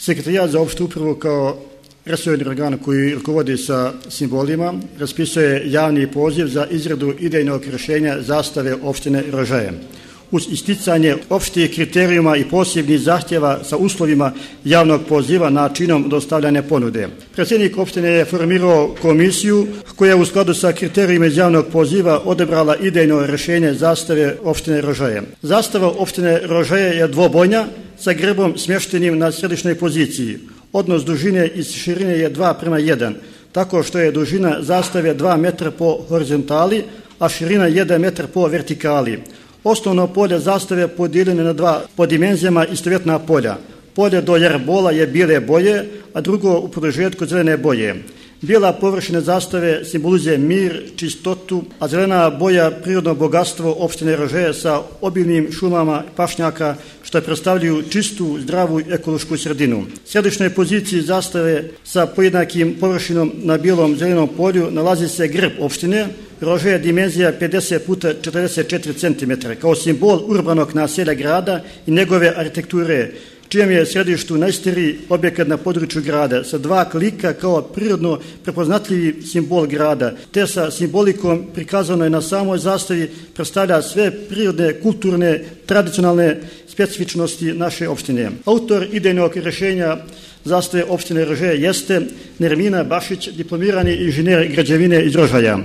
Sekretarijat za opštu upravu kao resorni organ koji rukovodi sa simbolima raspisuje javni poziv za izradu idejnog rješenja zastave opštine Rožaje. Uz isticanje opštih kriterijuma i posebnih zahtjeva sa uslovima javnog poziva načinom dostavljanja ponude. Predsjednik opštine je formirao komisiju koja u skladu sa kriterijima iz javnog poziva odebrala idejno rješenje zastave opštine Rožaje. Zastava opštine Rožaje je dvobojna sa grbom smještenim na središnjoj poziciji. Odnos dužine i širine je 2:1, tako što je dužina zastave 2 metra po horizontali, a širina 1 metar po vertikali. Osnovno polje zastave podijeljeno na 2 po dimenzijama istovjetna polja. Polje do jarbola je bijele boje, a drugo u produžetku zelene boje. Bijela površina zastave simbolizuje mir, čistotu, a zelena boja prirodno bogatstvo opštine Rožaje sa obilnim šumama pašnjaka što predstavljaju čistu, zdravu ekološku sredinu. U središnjoj poziciji zastave sa pojednakim površinom na bijelom zelenom polju nalazi se grb opštine Rožaje dimenzija 50 puta 44 cm kao simbol urbanog naselja grada i njegove arhitekture, čijem je središtu najstariji objekat na području grada sa 2 klika kao prirodno prepoznatljivi simbol grada, te sa simbolikom prikazanoj na samoj zastavi predstavlja sve prirodne, kulturne, tradicionalne specifičnosti naše opštine. Autor idejnog rješenja zastave opštine Rožaje jeste Nermina Bašić, diplomirani inženjer građevine iz Rožaja.